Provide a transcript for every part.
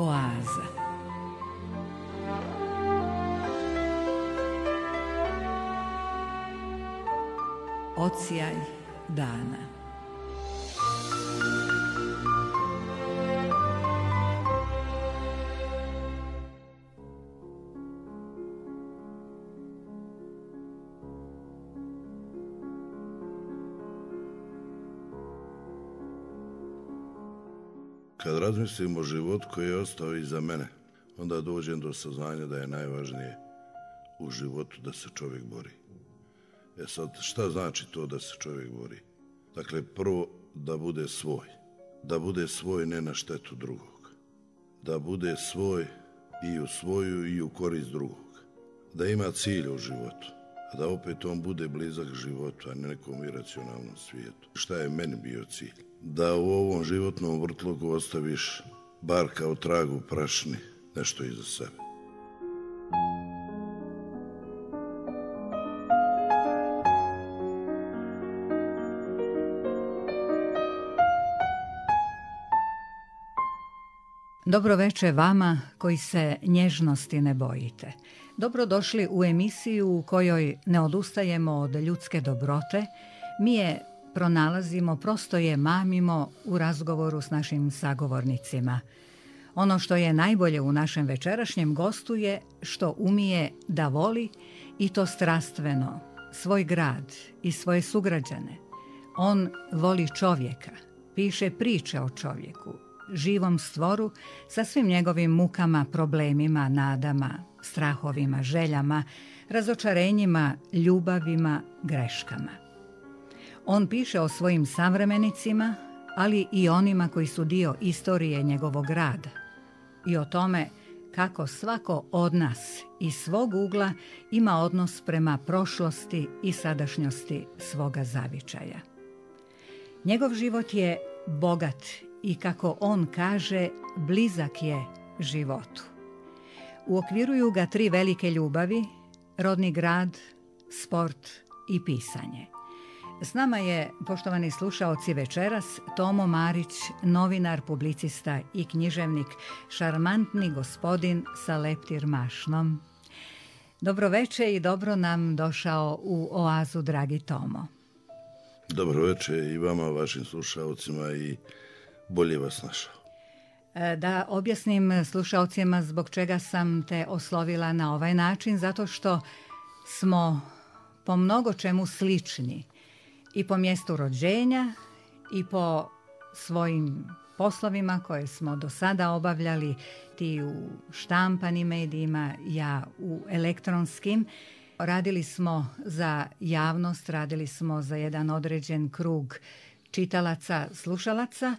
Oaza. Odsjaj dana. Kad razmislim o životu koji je ostao iza mene, onda dođem do saznanja da je najvažnije u životu da se čovjek bori. Sad, šta znači to da se čovjek bori? Dakle, prvo da bude svoj. Da bude svoj ne na štetu drugog. Da bude svoj i u svoju i u korist drugog. Da ima cilj u životu. A da opet on bude blizak životu, a ne nekom iracionalnom svijetu. Šta je meni bio cilj? Da u ovom životnom vrtlogu ostaviš bar kao tragu prašni nešto iza sebe. Dobro veče vama koji se nježnosti ne bojite. Dobrodošli u emisiju u kojoj ne odustajemo od ljudske dobrote. Mi je pronalazimo, prosto je mamimo u razgovoru s našim sagovornicima. Ono što je najbolje u našem večerašnjem gostu je što umije da voli i to strastveno, svoj grad i svoje sugrađane. On voli čovjeka, piše priče o čovjeku, živom stvoru sa svim njegovim mukama, problemima, nadama, strahovima, željama, razočarenjima, ljubavima, greškama. On piše o svojim savremenicima, ali i onima koji su dio istorije njegovog rada i o tome kako svako od nas iz svog ugla ima odnos prema prošlosti i sadašnjosti svoga zavičaja. Njegov život je bogat i, kako on kaže, blizak je životu. Uokviruju ga 3 velike ljubavi: rodni grad, sport i pisanje. S nama je, poštovani slušaoci, večeras Tomo Marić, novinar, publicista i književnik, šarmantni gospodin sa leptir mašnom. Dobro veče i dobro nam došao u Oazu, dragi Tomo. Dobro veče i vama, vašim slušaocima, i bolje vas našao. Da objasnim slušaocima zbog čega sam te oslovila na ovaj način, zato što smo po mnogo čemu slični. I po mjestu rođenja i po svojim poslovima koje smo do sada obavljali, ti u štampanim medijima, ja u elektronskim. Radili smo za javnost, radili smo za jedan određen krug čitalaca, slušalaca,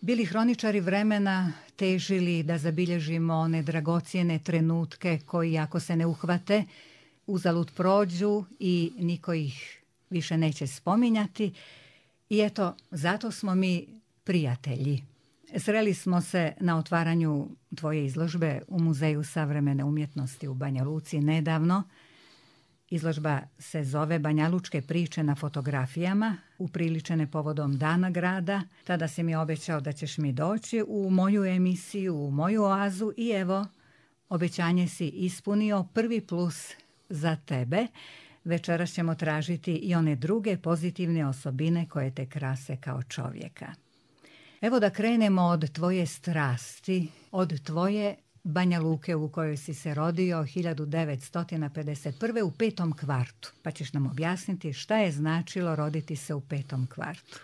bili hroničari vremena, težili da zabilježimo one dragocjene trenutke koji, ako se ne uhvate, uzalud prođu i niko ih više neće spominjati. I eto, zato smo mi prijatelji. Sreli smo se na otvaranju tvoje izložbe u Muzeju savremene umjetnosti u Banja Luci nedavno. Izložba se zove Banjalučke priče na fotografijama, upriličene povodom Dana grada. Tada si mi obećao da ćeš mi doći u moju emisiju, u moju oazu, i evo, obećanje si ispunio. Prvi plus za tebe. Večeras ćemo tražiti i one druge pozitivne osobine koje te krase kao čovjeka. Evo da krenemo od tvoje strasti, od tvoje Banja Luke u kojoj si se rodio 1951. u 5. kvartu. Pa ćeš nam objasniti šta je značilo roditi se u 5. kvartu.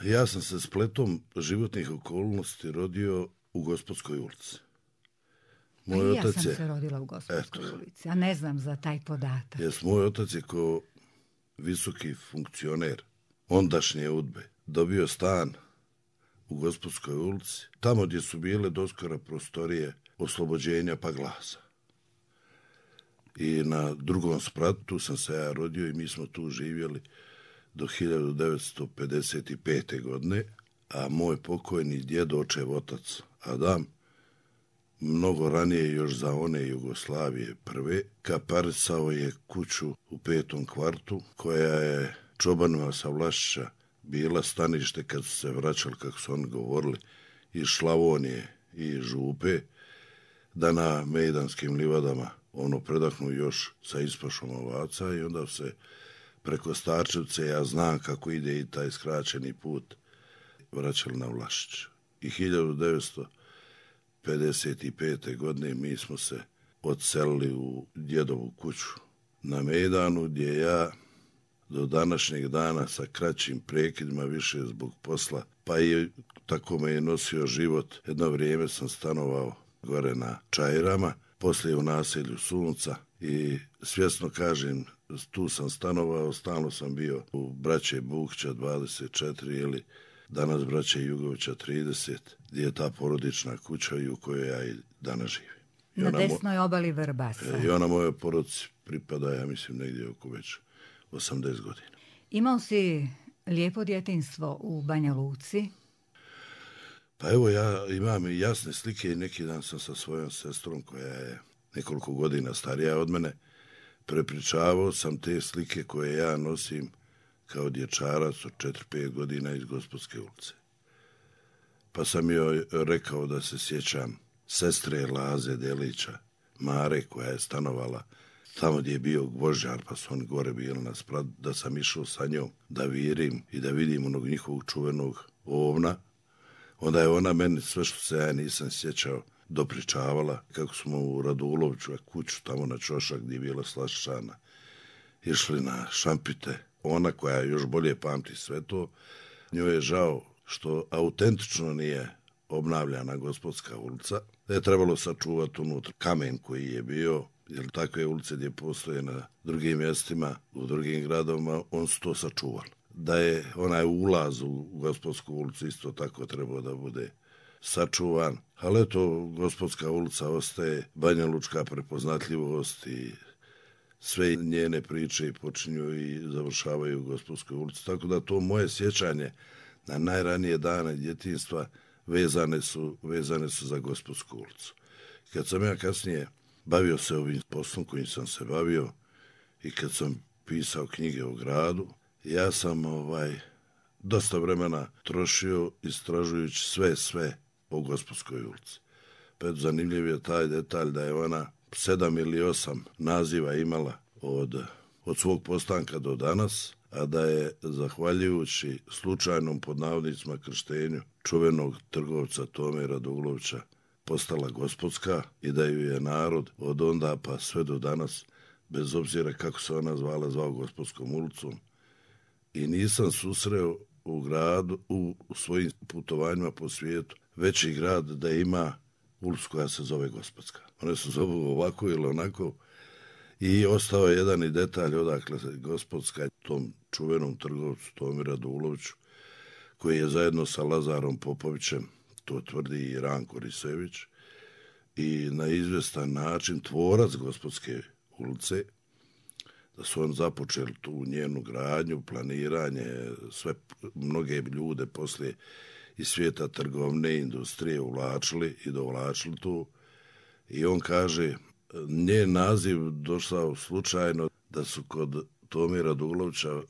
Ja sam se spletom životnih okolnosti rodio u Gospodskoj ulici. Moj ja sam se rodila u Gospodskoj ulici, a ne znam za taj podatak. Moj otac je ko visoki funkcioner ondašnje UDBE dobio stan u Gospodskoj ulici, tamo gdje su bile doskora prostorije Oslobođenja pa Glasa. I na drugom spratu sam se ja rodio i mi smo tu živjeli do 1955. godine, a moj pokojni djed, očev otac Adam, mnogo ranije, još za one Jugoslavije prve, kaparisao je kuću u 5. kvartu, koja je čobanima sa Vlašića bila stanište kad su se vraćali, kako su oni govorili, iz Slavonije i župe, da na Mejdanskim livadama predahnu još sa ispašom ovaca i onda se preko Starčevce, ja znam kako ide i taj skraćeni put, vraćali na Vlašić. I 1955. godine mi smo se odselili u djedovu kuću na Mejdanu, gdje ja do današnjeg dana sa kraćim prekidima više zbog posla, pa i tako me je nosio život. Jedno vrijeme sam stanovao gore na Čajirama, poslije u naselju Sunca i svjesno kažem, tu sam stanovao, stalno sam bio u braće Bukća 24 ili danas braće Jugovića 30, gdje je ta porodična kuća i u kojoj ja i danas živim. Na desnoj obali Vrbasa. I ona mojoj porodici pripada, ja mislim, negdje oko već 80 godina. Imao si lijepo djetinjstvo u Banja Luci? Pa evo, ja imam i jasne slike i neki dan sam sa svojom sestrom, koja je nekoliko godina starija od mene, prepričavao sam te slike koje ja nosim kao dječarac od 4-5 godina iz Gospodske ulice. Pa sam joj rekao da se sjećam sestre Laze Delića, Mare, koja je stanovala tamo gdje je bio gvožđar, pa su oni gore bili na sprat, da sam išao sa njom da virim i da vidim onog njihovog čuvenog ovna. Onda je ona meni sve što se ja nisam sjećao dopričavala kako smo u Raduloviću, kuću tamo na Čošak gdje je bila Slaščana, išli na šampite. Ona koja još bolje pamti sve to, njoj je žao što autentično nije obnavljana Gospodska ulica, da je trebalo sačuvati unutra kamen koji je bio, jer takve ulice gdje postoje na drugim mjestima, u drugim gradovima, on su to sačuvali. Da je onaj ulaz u Gospodsku ulicu isto tako trebao da bude sačuvan, ali eto, Gospodska ulica ostaje Banja Lučka prepoznatljivost i sve njene priče počinju i završavaju u Gospodskoj ulici. Tako da to moje sjećanje na najranije dane djetinjstva vezane su za Gospodsku ulicu. Kad sam ja kasnije bavio se ovim poslom kojim sam se bavio i kad sam pisao knjige o gradu, ja sam dosta vremena trošio istražujući sve o Gospodskoj ulici. Pa zanimljiv je taj detalj da je ona 7 ili 8 naziva imala od svog postanka do danas, a da je zahvaljujući slučajnom pod navodnicima krštenju čuvenog trgovca Tome Radulovića postala Gospodska i da ju je narod od onda pa sve do danas, bez obzira kako se ona zvala, zvao Gospodskom ulicom. I nisam susreo u gradu, u svojim putovanjima po svijetu, veći grad da ima ulicu koja se zove Gospodska. One se zovu ovako ili onako. I ostao je jedan i detalj odakle se Gospodska tom čuvenom trgovcu Tomi Raduloviću, koji je zajedno sa Lazarom Popovićem, to tvrdi i Ranko Risević, i na izvjestan način tvorac Gospodske ulice, da su on započeli tu njenu gradnju, planiranje, sve mnoge ljude poslije iz svijeta trgovne industrije uvlačili i dovlačili tu. I on kaže, njen naziv došao slučajno da su kod Tome Radulovića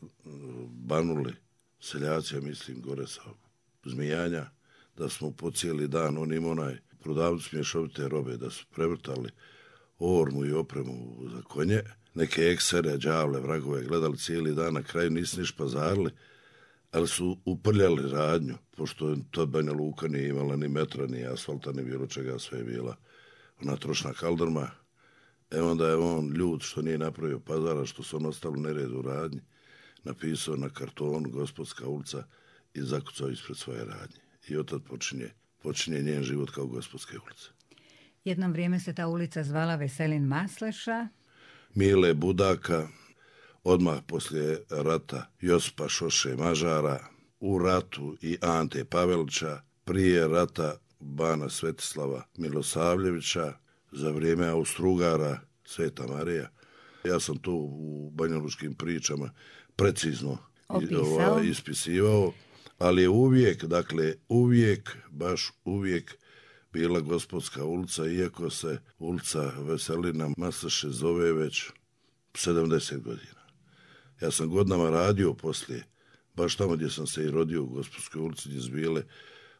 banuli seljaci, ja mislim, gore sa Zmijanja, da smo po cijeli dan, on ima onaj prodavnicu mješovite robe, da su prevrtali ormu i opremu za konje, neke eksere, đavle, vragove gledali cijeli dan, na kraju nisu niš pazarili, ali su uprljali radnju, pošto tad Banja Luka nije imala ni metra, ni asfalta, ni bilo čega, sve je bila ona trošna kaldrma. Onda je on ljud što nije napravio pazara, što su on ostali nered u radnji, napisao na kartonu Gospodska ulica i zakucao ispred svoje radnje. I od tad počinje njen život kao Gospodske ulice. Jedno vrijeme se ta ulica zvala Veselin Masleša. Mile Budaka, odmah poslije rata Josipa Šoše Mažara, u ratu i Ante Pavelića, prije rata Bana Svetislava Milosavljevića, za vrijeme Austro-Ugara Sveta Marija. Ja sam to u banjalučkim pričama precizno ispisivao, ali je baš uvijek bila Gospodska ulica, iako se ulica Veselina Masleše zove već 70 godina. Ja sam godinama radio poslije, baš tamo gdje sam se i rodio u Gospodskoj ulici, gdje su bile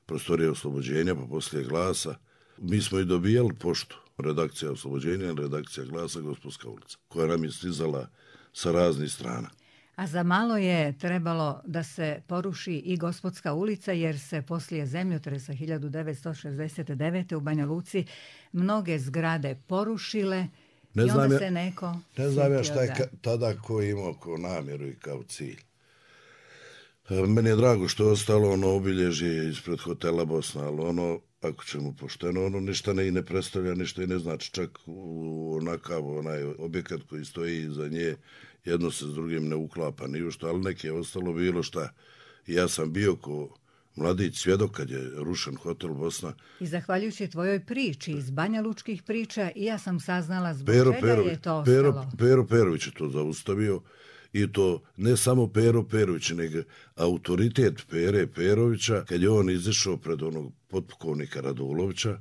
prostorije oslobođenja, pa poslije Glasa, Mi smo i dobijali poštu, redakcija Oslobođenja, redakcija Glasa, Gospodska ulica, koja nam je stizala sa raznih strana. A za malo je trebalo da se poruši i Gospodska ulica, jer se poslije zemljotresa 1969. u Banja Luci mnoge zgrade porušile i onda se neko ne znam ja šta je tada ko imao kao namjeru i kao cilj. Meni je drago što je ostalo ono obilježje ispred hotela Bosna, ali ono, ako ćemo pošteno, ono ništa ne predstavlja, ništa i ne znači, čak onakav onaj objekat koji stoji iza nje, jedno se s drugim ne uklapa ni u što, ali neke je ostalo bilo šta. Ja sam bio ko mladić svjedok kad je rušen hotel Bosna. I zahvaljujući tvojoj priči iz Banja Lučkih priča, i ja sam saznala zbog čega je to ostalo. Pero Perović je to zaustavio, i to ne samo Pero Perović, nego autoritet Pere Perovića, kad je on izašao pred onog potpukovnika Radulovića,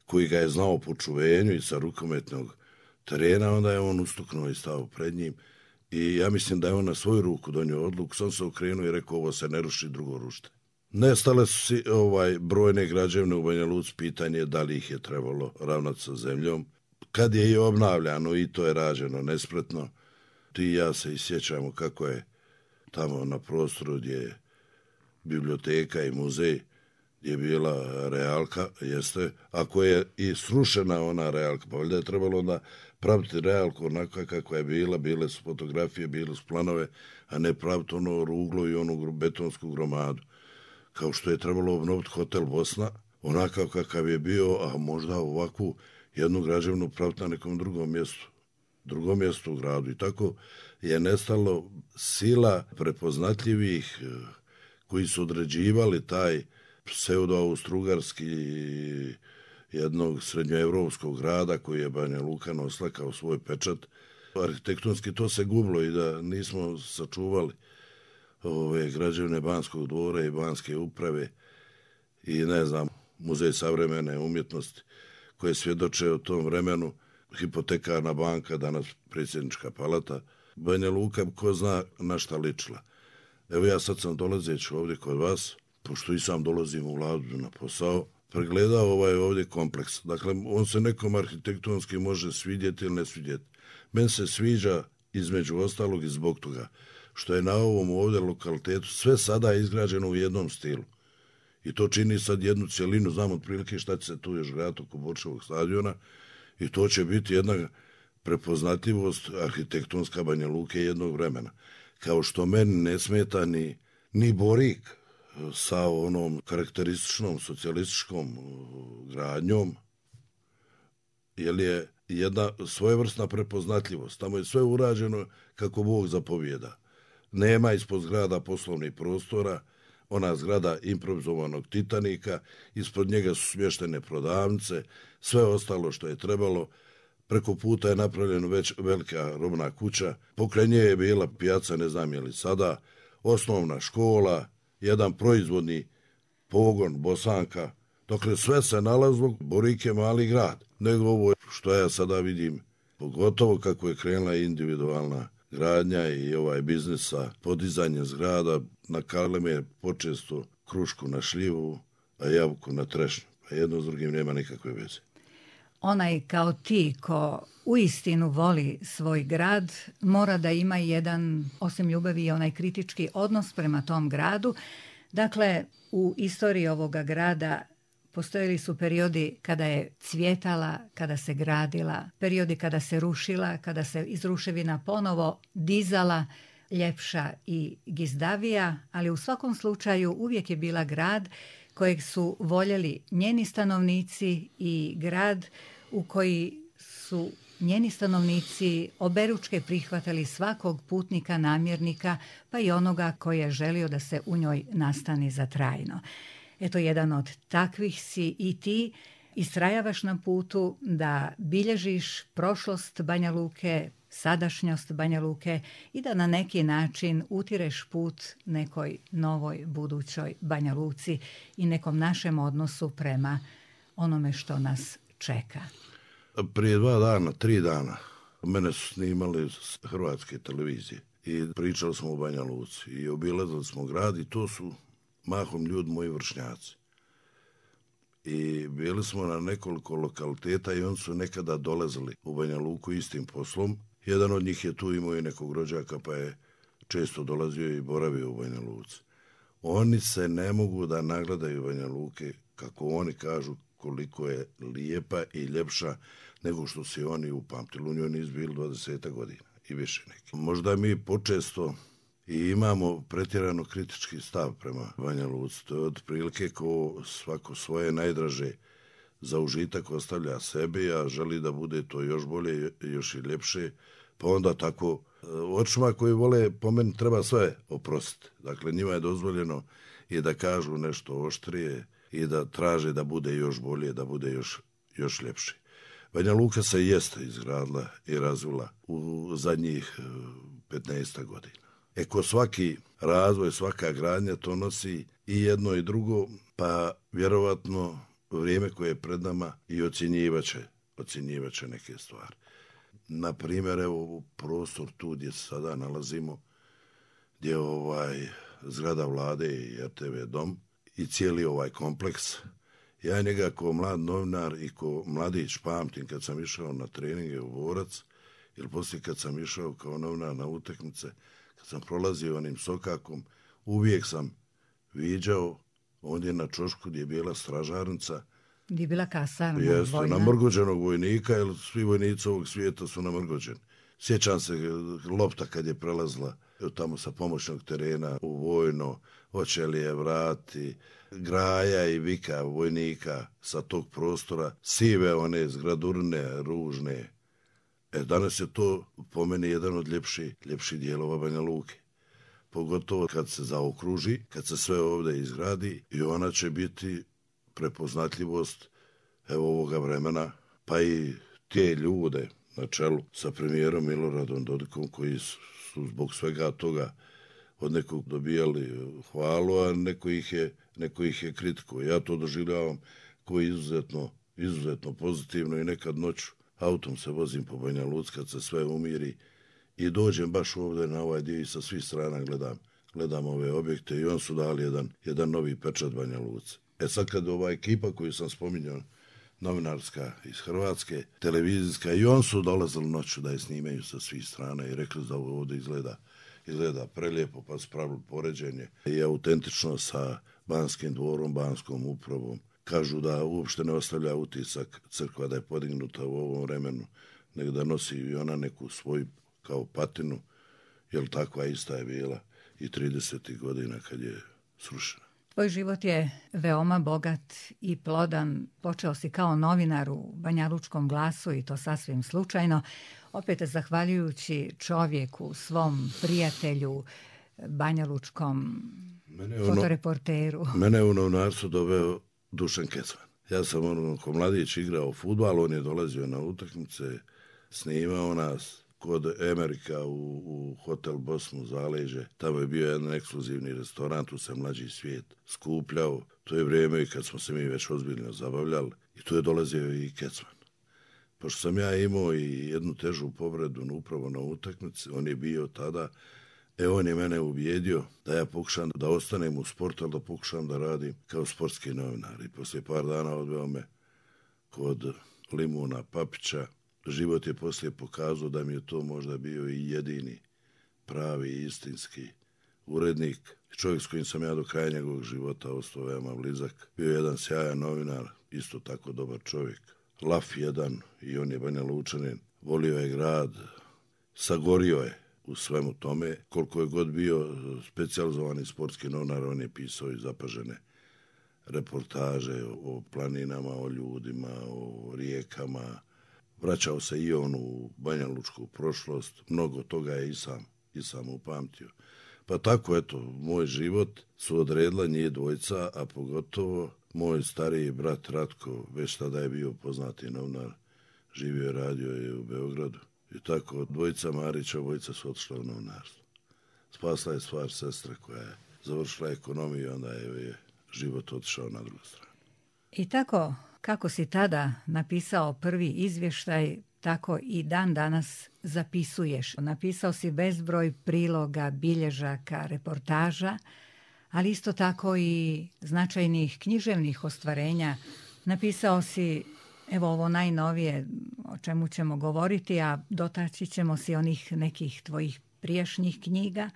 koji ga je znao po čuvenju i sa rukometnog terena, onda je on ustuknuo i stao pred njim. I ja mislim da je on na svoju ruku donio odluku, sam se okrenuo i rekao, ovo se ne ruši, drugo rušte. Nestale su brojne građevine u Banja Luci, pitanje da li ih je trebalo ravnati sa zemljom. Kad je i obnavljano, i to je rađeno nespretno, ti i ja se isjećamo kako je tamo na prostoru gdje je biblioteka i muzej, gdje je bila realka, jeste, ako je i srušena ona realka, pa valjda je trebalo onda praviti realku onako kakva je bila, bile su fotografije, bile su planove, a ne praviti ono ruglo i onu betonsku gromadu. Kao što je trebalo obnoviti hotel Bosna, onakav kakav je bio, a možda ovakvu jednu građevnu praviti na nekom drugom mjestu u gradu. I tako je nestalo sila prepoznatljivih koji su određivali taj pseudo-austrougarski jednog srednjoevropskog grada koji je Banja Luka nosila kao svoj pečat. Arhitektonski to se gubilo i da nismo sačuvali ove građevine Banskog dvora i Banske uprave i ne znam, Muzej savremene umjetnosti koje svjedoče o tom vremenu, hipotekarna banka, danas predsjednička palata. Banja Luka, ko zna na šta ličila. Evo ja sad sam dolazeći ovdje kod vas, pošto i sam dolazim u Vladu na posao, pregledao ovaj ovdje kompleks. Dakle, on se nekom arhitektonski može svidjeti ili ne svidjeti. Meni se sviđa između ostalog i zbog toga što je na ovom ovdje lokalitetu sve sada izgrađeno u jednom stilu. I to čini sad jednu cjelinu, znam otprilike šta će se tu još graditi oko Borčevog stadiona, i to će biti jedna prepoznatljivost arhitektonska Banja Luke jednog vremena. Kao što meni ne smeta ni Borik sa onom karakterističnom socijalističkom gradnjom, jer je jedna svojevrsna prepoznatljivost. Tamo je sve urađeno kako Bog zapovijeda. Nema ispod zgrada poslovnih prostora, ona zgrada improvizovanog Titanika, ispod njega su smještene prodavnice, sve ostalo što je trebalo. Preko puta je napravljena već velika robna kuća, pokraj nje je bila pijaca, ne znam je li sada, osnovna škola, jedan proizvodni pogon Bosanka. Dakle, sve se nalazilo, Borik je mali grad. Nego ovo što ja sada vidim, pogotovo kako je krenula individualna gradnja i ovaj biznis sa podizanjem zgrada, na Kaleme počesto krušku na šljivu, a jabuku na trešnju. A jedno s drugim nema nikakve veze. Onaj kao ti ko uistinu voli svoj grad mora da ima jedan, osim ljubavi, i onaj kritički odnos prema tom gradu. Dakle, u istoriji ovoga grada postojali su periodi kada je cvjetala, kada se gradila, periodi kada se rušila, kada se iz ruševina ponovo dizala, ljepša i gizdavija, ali u svakom slučaju uvijek je bila grad kojeg su voljeli njeni stanovnici i grad u koji su njeni stanovnici oberučke prihvatali svakog putnika, namjernika, pa i onoga koji je želio da se u njoj nastani za trajno. Eto, jedan od takvih si i ti, istrajavaš na putu da bilježiš prošlost Banja Luke, sadašnjost Banja Luke i da na neki način utireš put nekoj novoj budućoj Banja Luci i nekom našem odnosu prema onome što nas čeka. Prije 3 dana, mene su snimali s hrvatske televizije i pričali smo o Banja Luci i obilazili smo grad i to su mahom ljudi moji vršnjaci. i bili smo na nekoliko lokaliteta i oni su nekada dolazili u Banja Luku istim poslom. Jedan od njih je tu imao i nekog rođaka pa je često dolazio i boravio u Banja Luci. Oni se ne mogu da nagledaju Banja Luke, kako oni kažu, koliko je lijepa i ljepša nego što si oni upamtili. U njoj nisu bili 20 godina i više neki. Možda mi počesto i imamo pretjerano kritički stav prema Banja Luci. To je otprilike ko svako svoje najdraže za užitak ostavlja sebi, a želi da bude to još bolje, još i ljepše. Pa onda tako, očima koji vole, po meni treba sve oprostiti. Dakle, njima je dozvoljeno i da kažu nešto oštrije i da traže da bude još bolje, da bude još ljepše. Banja Luka se jeste izgradila i razvila u zadnjih 15 godina. Ko svaki razvoj, svaka gradnja, to nosi i jedno i drugo, pa vjerovatno vrijeme koje je pred nama i ocjenjivaće neke stvari. Na primjer, evo prostor tu gdje se sada nalazimo, gdje je zgrada vlade i RTV dom i cijeli ovaj kompleks. Ja njega ko mlad novinar i ko mladić pamtim kad sam išao na treninge u Vorac, ili poslije kad sam išao kao novinar na utakmice, kad sam prolazio onim sokakom, uvijek sam viđao ondje na čošku gdje je bila stražarnica. Gdje je bila kasarna vojna? Namrgođenog vojnika, jer svi vojnici ovog svijeta su namrgođeni. Sjećam se lopta kad je prelazila tamo sa pomoćnog terena u vojno, hoće li je vrati, graja i vika vojnika sa tog prostora, sive one zgradurne, ružne. Danas je to po meni jedan od ljepših dijelova Banja Luke. Pogotovo kad se zaokruži, kad se sve ovdje izgradi i ona će biti prepoznatljivost ovoga vremena, pa i te ljude na čelu sa premijerom Miloradom Dodikom koji su zbog svega toga od nekog dobijali hvalu, a neko ih je kritiko. Ja to doživljavam koji izuzetno pozitivno i nekad noću autom se vozim po Banja Luci kad se sve umiri i dođem baš ovdje na ovaj dio i sa svih strana gledam ove objekte i on su dali jedan novi pečat Banja Luci. Sad kad ova ekipa koju sam spominjao, novinarska iz Hrvatske, televizijska, i on su dolazili noću da je snimaju sa svih strana i rekli da ovo ovdje izgleda prelijepo, pa su pravili poređenje i autentično sa Banskim dvorom, Banskom upravom. Kažu da uopšte ne ostavlja utisak crkva da je podignuta u ovom vremenu, nego da nosi i ona neku svoju kao patinu, jer takva ista je bila i 30. godina kad je srušena. Tvoj život je veoma bogat i plodan. Počeo si kao novinar u Banjalučkom glasu i to sasvim slučajno. Opet zahvaljujući čovjeku, svom prijatelju, banjalučkom fotoreporteru. Mene u novinarstvo doveo Dušan Kecman. Ja sam ko mladić igrao fudbal, on je dolazio na utakmice, snimao nas kod Amerika u hotel Bosnu Zaleđe. Tamo je bio jedan ekskluzivni restoran, tu se mlađi svijet skupljao. To je vrijeme kad smo se mi već ozbiljno zabavljali i tu je dolazio i Kecman. Pošto sam ja imao i jednu težu povredu upravo na utakmici, on je bio tada, on je mene ubijedio da ja pokušam da ostanem u sportu, ali da pokušam da radim kao sportski novinar. I poslije par dana odveo me kod Limuna Papića. Život je poslije pokazao da mi je to možda bio i jedini pravi istinski urednik. Čovjek s kojim sam ja do kraja njegovog života ostao veoma blizak. Bio je jedan sjajan novinar, isto tako dobar čovjek. Laf jedan i on je Banja Lučanin. Volio je grad, sagorio je u svemu tome. Koliko je god bio specijalizovani sportski novinar, on je pisao i zapažene reportaže o planinama, o ljudima, o rijekama. Vraćao se i on u banjalučku prošlost. Mnogo toga je i sam upamtio. Pa tako, eto, moj život su odredila njih dvojca, a pogotovo moj stariji brat Ratko, već tada je bio poznati novinar, živio i radio je u Beogradu. I tako, dvojica Marića, dvojica su otišla u novinarstvo. Spasla je stvar sestra koja je završila ekonomiju, onda je život otišao na drugu stranu. I tako, kako si tada napisao prvi izvještaj, tako i dan danas zapisuješ. Napisao si bezbroj priloga, bilježaka, reportaža, ali isto tako i značajnih književnih ostvarenja Napisao si, evo ovo najnovije o čemu ćemo govoriti, a dotaći ćemo se onih nekih tvojih prijašnjih knjiga,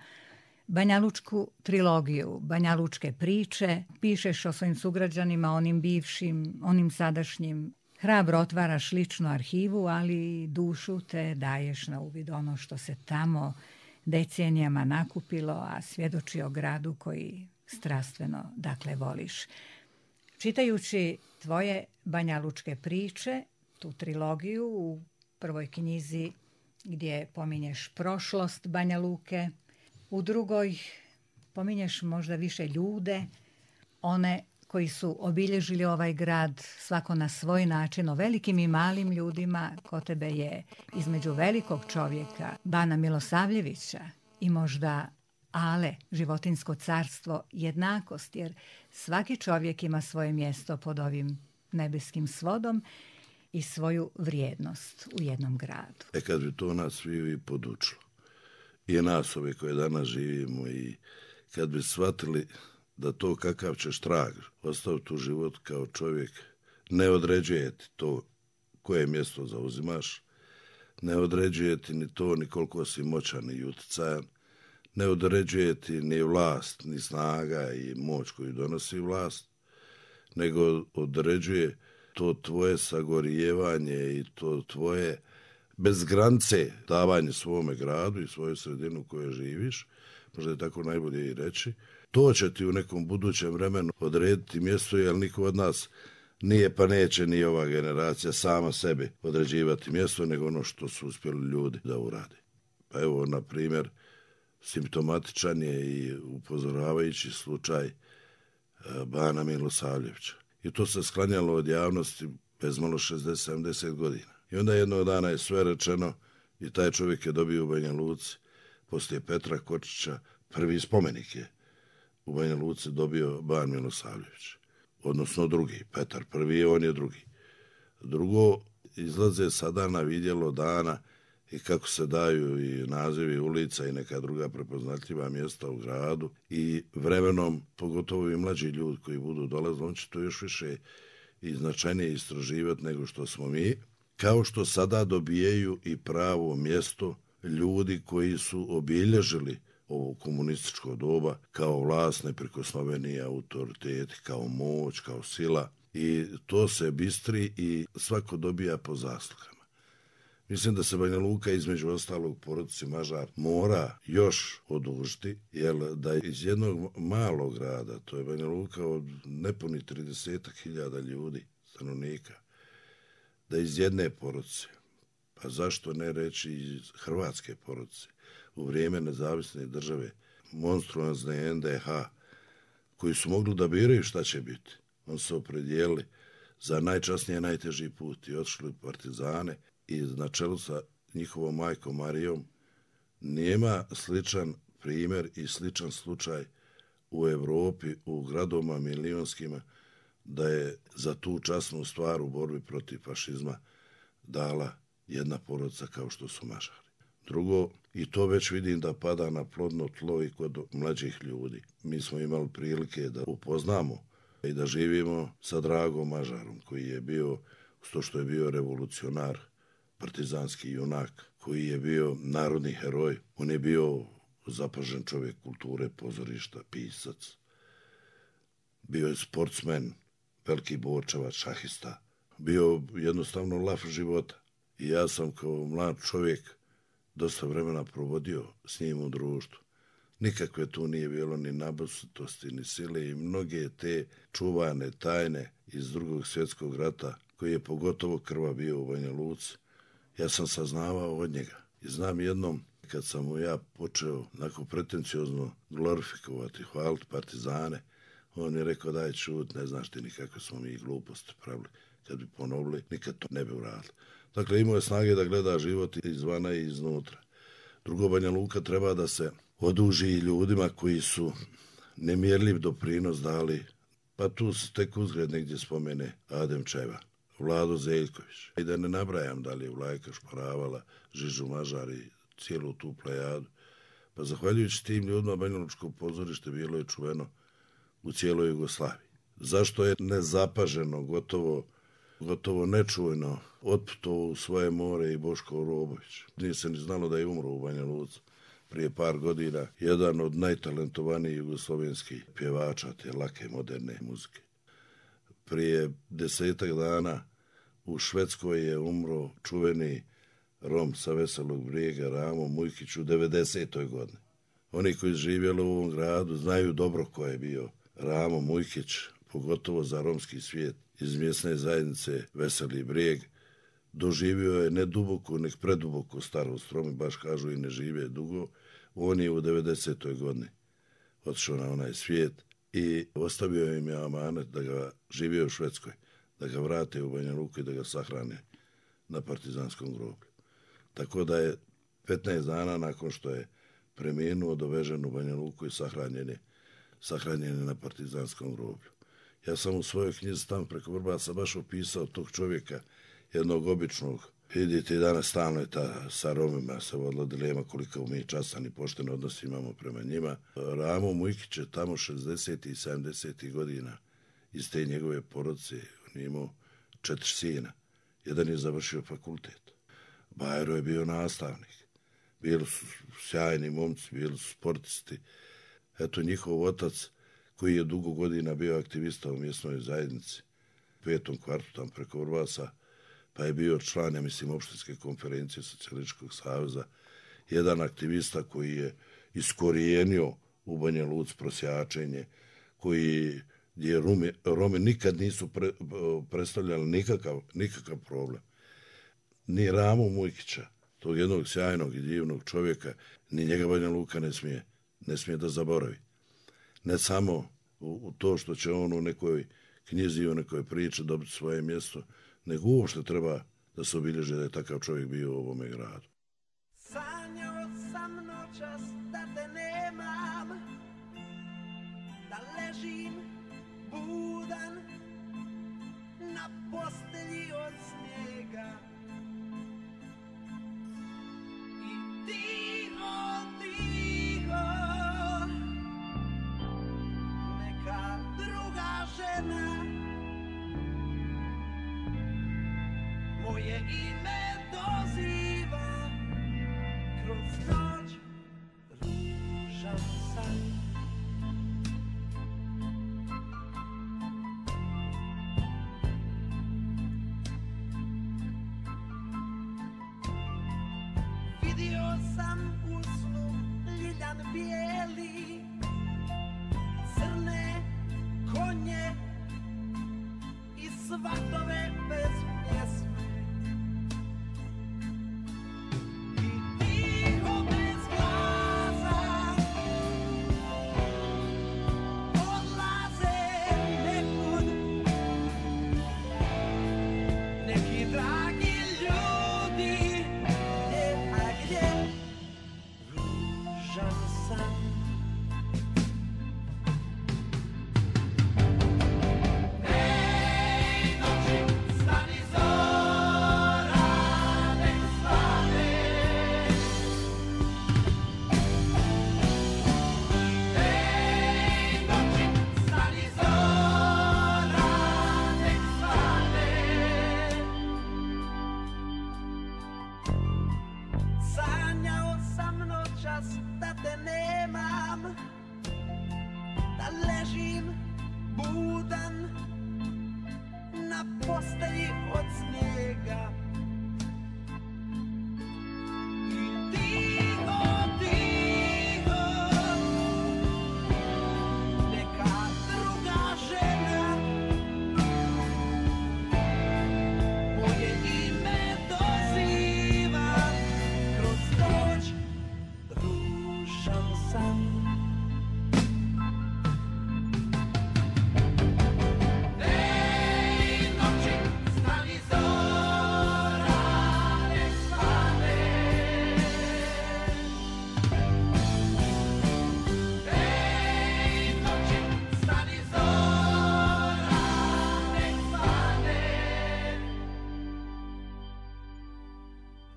Banjalučku trilogiju, Banjalučke priče, pišeš o svojim sugrađanima, onim bivšim, onim sadašnjim. Hrabro otvaraš ličnu arhivu, ali dušu te daješ na uvid ono što se tamo decenijama nakupilo, a svjedoči o gradu koji strastveno, dakle, voliš. Čitajući tvoje Banjalučke priče, tu trilogiju u prvoj knjizi gdje pominješ prošlost Banja Luke, u drugoj pominješ možda više ljude, one koji su obilježili ovaj grad svako na svoj način, o velikim i malim ljudima. Kod tebe je između velikog čovjeka Bana Milosavljevića i možda Ale, životinjsko carstvo, jednakost, jer svaki čovjek ima svoje mjesto pod ovim nebeskim svodom i svoju vrijednost u jednom gradu. Kad bi to nas sviju i podučilo, i nas ove koje danas živimo, i kad bi shvatili da to kakav ćeš trag ostaviti u život kao čovjek, ne određuje ti to koje mjesto zauzimaš, ne određuje ti ni to ni koliko si moćan i utjecajan, ne određuje ti ni vlast, ni snaga i moć koju donosi vlast, nego određuje to tvoje sagorijevanje i to tvoje bez granice davanje svome gradu i svojoj sredinu u kojoj živiš, možda je tako najbolje i reći. To će ti u nekom budućem vremenu odrediti mjesto, jer niko od nas nije pa neće ni ova generacija sama sebi određivati mjesto, nego ono što su uspjeli ljudi da urade. Pa evo, na primjer, simptomatičan je i upozoravajući slučaj Bana Milosavljevića. I to se sklanjalo od javnosti bezmalo 60-70 godina. I onda jednog dana je sve rečeno i taj čovjek je dobio u Banja Luci, poslije Petra Kočića, prvi spomenik je u Banja Luci dobio Ban Milosavljević. Odnosno drugi, Petar prvi, on je drugi. Drugo, izlaze sada na vidjelo dana i kako se daju i nazivi ulica i neka druga prepoznatljiva mjesta u gradu i vremenom, pogotovo i mlađi ljudi koji budu dolazili, on će to još više i značajnije istraživati nego što smo mi, kao što sada dobijaju i pravo mjesto ljudi koji su obilježili ovo komunističko doba kao vlast, neprikosnoveni autoriteti, kao moć, kao sila, i to se bistri i svako dobija po zaslugama. Mislim da se Banja Luka, između ostalog porodici Mažar, mora još odužiti, jer da iz jednog malog grada, to je Banja Luka od nepuni 30.000 ljudi, stanovnika, da iz jedne porodice, pa zašto ne reći iz hrvatske porodice, u vrijeme nezavisne države, monstruozne NDH, koji su mogli da biraju šta će biti. On se opredijelili za najčasnije najteži put i otišli u partizane i na čelu sa njihovom majkom Marijom nema sličan primjer i sličan slučaj u Evropi, u gradovima milionskima, da je za tu časnu stvar u borbi protiv fašizma dala jedna porodica kao što su Mažari. Drugo, i to već vidim da pada na plodno tlo i kod mlađih ljudi. Mi smo imali prilike da upoznamo i da živimo sa Dragom Mažarom, koji je bio, to što je bio revolucionar, partizanski junak, koji je bio narodni heroj. On je bio zapažen čovjek kulture, pozorišta, pisac. Bio je sportsmen, veliki borčevac, šahista. Bio jednostavno lav života. I ja sam kao mlad čovjek dosta vremena provodio s njim u društvu. Nikakve tu nije bilo ni nabusitosti, ni sile i mnoge te čuvane tajne iz Drugog svjetskog rata, koji je pogotovo krva bio u Banja Luci, ja sam saznavao od njega. I znam jednom, kad sam mu ja počeo onako pretenciozno glorifikovati, hvaliti partizane, on je rekao, daj čut, ne znaš ti ni kako smo mi gluposti pravili. Kad bi ponovili, nikad to ne bi uradili. Dakle, imao je snage da gleda život izvana i iznutra. Drugo, Banja Luka treba da se oduži ljudima koji su nemjerljiv doprinos dali, pa tu se tek uzgled negdje spomene Adem Čeva, Vlado Zeljković. I da ne nabrajam da li je Vlajka Šporavala, Žižu Mažar i cijelu tu plejadu. Pa zahvaljujući tim ljudima Banjalučko pozorište bilo je čuveno u cijeloj Jugoslaviji. Zašto je nezapaženo, gotovo nečujno otputovao u svoje more i Boško Robović. Nije se ni znalo da je umro u Banja Luci prije par godina. Jedan od najtalentovanijih jugoslovenskih pjevača te lake moderne muzike. Prije 10 dana u Švedskoj je umro čuveni Rom sa Veselog Brijega Ramo Mujkić u 90. godini. Oni koji živjeli u ovom gradu znaju dobro ko je bio Ramo Mujkić, pogotovo za romski svijet iz mjesne zajednice Veseli Brijeg. Doživio je ne duboku, nek preduboku starost, Romi baš kažu i ne žive dugo. On je u 90. godini otišao na onaj svijet i ostavio im je amanet da ga živio u Švedskoj, da ga vrate u Banja Luku i da ga sahrane na partizanskom groblju. Tako da je 15 dana nakon što je preminuo dovežen u Banja Luku i sahranjen je na partizanskom groblju. Ja sam u svojoj knjizi Tam preko Vrbasa baš opisao tog čovjeka, jednog običnog. Vidite, i danas stalno je sa Romima se vodila dilema koliko mi častan i pošten odnos imamo prema njima. Ramo Mujkić je tamo 60. i 70. godina iz te njegove porodice. On je imao 4 sina. Jedan je završio fakultet. Bajro je bio nastavnik. Bili su sjajni momci, bili su sportisti. Eto, njihov otac, koji je dugo godina bio aktivista u mjesnoj zajednici, u 5. kvartu tam preko Vrbasa, pa je bio član, ja mislim, opštinske konferencije Socijalističkog saveza, jedan aktivista koji je iskorijenio u Banja Luci prosjačenje, gdje Romi nikad nisu predstavljali nikakav problem. Ni Ramu Mujkića, tog jednog sjajnog i divnog čovjeka, ni njega Banja Luka ne smije da zaboravi. Ne samo u to što će on u nekoj knjizi, u nekoj priči dobiti svoje mjesto, nego uopšte treba da se obilježe da je takav čovjek bio u ovome gradu. Sanjao sam noćas da te nemam, da ležim budan na postelji od snijega i tiho, tiho neka druga žena moje ime doziva kroz noć ružan san. Vidio sam u snu ljiljan bijeli, crne konje i svatove bez pjesme.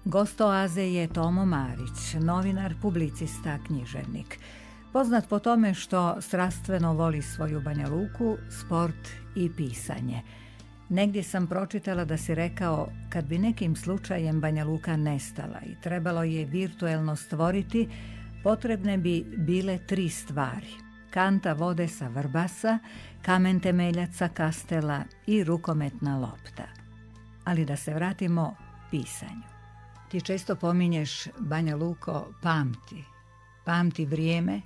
Gost Oaze je Tomo Marić, novinar, publicista, književnik. Poznat po tome što strastveno voli svoju Banja Luku, sport i pisanje. Negdje sam pročitala da si rekao, kad bi nekim slučajem Banja Luka nestala i trebalo je virtuelno stvoriti, potrebne bi bile 3 stvari. Kanta vode sa Vrbasa, kamen temeljac sa Kastela i rukometna lopta. Ali da se vratimo pisanju. Ti često pominješ, Banja Luko, pamti vrijeme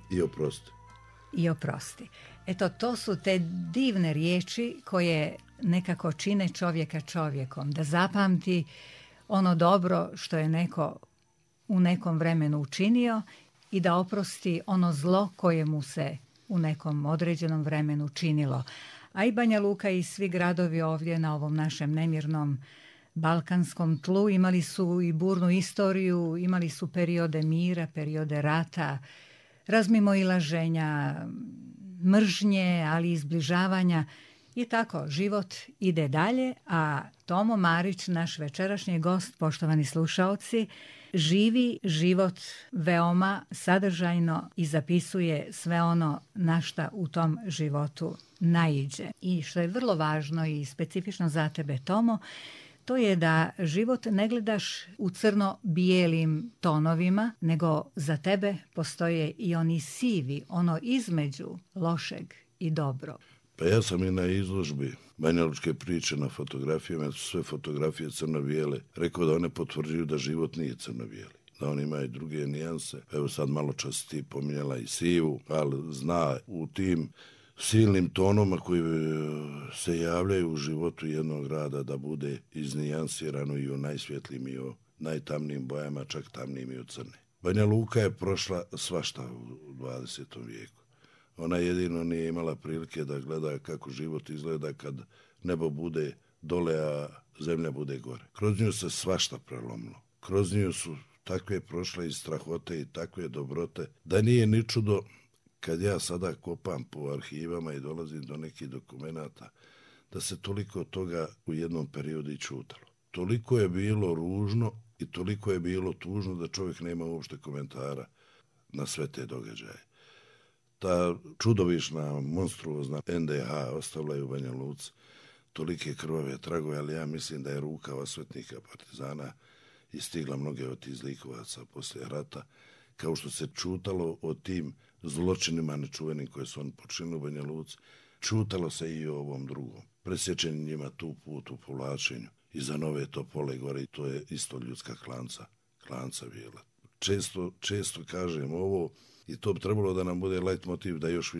i oprosti. Eto, to su te divne riječi koje nekako čine čovjeka čovjekom, da zapamti ono dobro što je neko u nekom vremenu učinio i da oprosti ono zlo koje mu se u nekom određenom vremenu činilo. A i Banja Luka i svi gradovi ovdje na ovom našem nemirnom balkanskom tlu imali su i burnu istoriju, imali su periode mira, periode rata, razmimoilaženja, mržnje, ali i zbližavanja. I tako, život ide dalje, a Tomo Marić, naš večerašnji gost, poštovani slušaoci, živi život veoma sadržajno i zapisuje sve ono na šta u tom životu naiđe. I što je vrlo važno i specifično za tebe, Tomo, to je da život ne gledaš u crno-bijelim tonovima, nego za tebe postoje i oni sivi, ono između lošeg i dobro. Pa ja sam i na izložbi banjalučke priče na fotografijama, su sve fotografije crno-bijele, rekao da one potvrđuju da život nije crno-bijeli, da on ima i druge nijanse. Evo sad malo čas ti pominjala i sivu, ali zna u tim silnim tonoma koji se javljaju u životu jednog grada da bude iznijansirano i u najsvjetlijim i u najtamnijim bojama, čak tamnijim i u crne. Banja Luka je prošla svašta u 20. vijeku. Ona jedino nije imala prilike da gleda kako život izgleda kad nebo bude dole, a zemlja bude gore. Kroz nju se svašta prelomilo. Kroz nju su takve prošle i strahote i takve dobrote da nije ni čudo kad ja sada kopam po arhivama i dolazim do nekih dokumenata, da se toliko toga u jednom periodu i čutalo. Toliko je bilo ružno i toliko je bilo tužno da čovjek nema uopšte komentara na sve te događaje. Ta čudovišna, monstruozna NDH ostavila je u Banja Luci tolike krvave tragove, ali ja mislim da je ruka osvetnika partizana istigla mnoge od tih zlikovaca poslije rata, kao što se čutalo o tim zločinima nečuvenim koje su oni počinili u Banja Luci, čutalo se i o ovom drugom. Presječeni njima tu put u povlačenju iza Nove Topole gore, i to je isto ljudska klanca bila. Često kažem ovo i to bi trebalo da nam bude leitmotiv da još